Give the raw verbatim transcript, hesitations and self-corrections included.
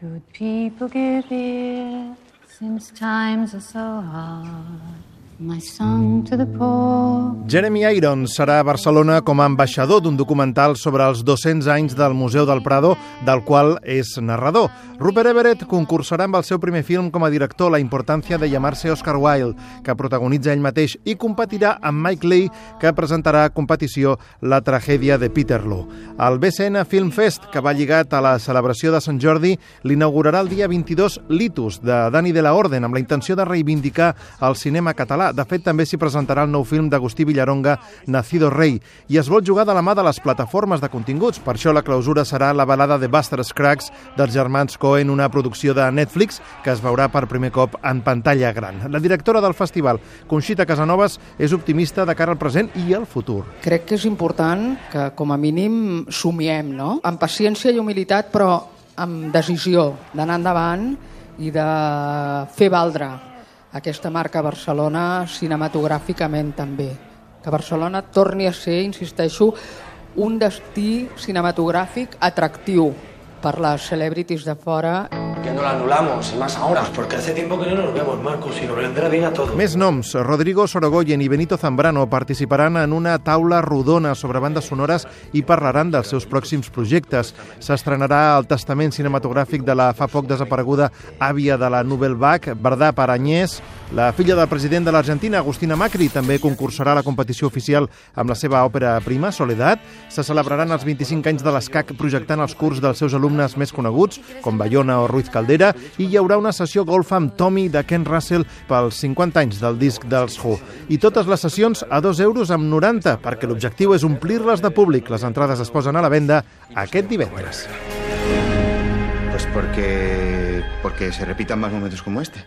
Good people give ear, since times are so hard. My song to the poor. Jeremy Irons serà a Barcelona com a ambaixador d'un documental sobre els dos-cents anys del Museu del Prado, del qual és narrador. Rupert Everett concursarà amb el seu primer film com a director, La importància de llamarse Oscar Wilde, que protagonitza ell mateix, i competirà amb Mike Leigh, que presentarà a competició La tragèdia de Peterloo. El B C N Film Fest, que va lligat a la celebració de Sant Jordi, l'inaugurarà el dia vint-i-dos Litus, de Dani de la Orden, amb la intenció de reivindicar el cinema català. De fet, també s'hi presentarà el nou film d'Agustí Villaronga, Nacido Rey, i es vol jugar de la mà de les plataformes de continguts. Per això la clausura serà la balada de Buster Scruggs dels germans Coen, una producció de Netflix que es veurà per primer cop en pantalla gran. La directora del festival, Conxita Casanovas, és optimista de cara al present i al futur. Crec que és important que, com a mínim, somiem, no? Amb paciència i humilitat, però amb decisió d'anar endavant i de fer valdre aquesta marca Barcelona cinematogràficament també. Que Barcelona torni a ser, insisteixo, un destí cinematogràfic atractiu per les celebrities de fora. Que no la anulamos, y más ahora, porque hace tiempo que no nos vemos, Marcos, y nos vendrá bien a todos. Més noms. Rodrigo Sorogoyen i Benito Zambrano participaran en una taula rodona sobre bandes sonores i parlaran dels seus pròxims projectes. S'estrenarà el testament cinematogràfic de la fa poc desapareguda àvia de la Nouvelle Vague, Verdà Parañés. La filla del president de l'Argentina, Agustina Macri, també concursarà a la competició oficial amb la seva òpera prima, Soledad. Se celebraran els vint-i-cinc anys de l'ESCAC projectant els curts dels seus alumnes més coneguts, com Bayona o Ruiz Caldera, i hi haurà una sessió golf amb Tommy de Ken Russell pels cinquanta anys del disc dels Who. I totes les sessions a dos euros amb noranta, perquè l'objectiu és omplir-les de públic. Les entrades es posen a la venda aquest divendres. Pues porque, porque se repitan más momentos como este.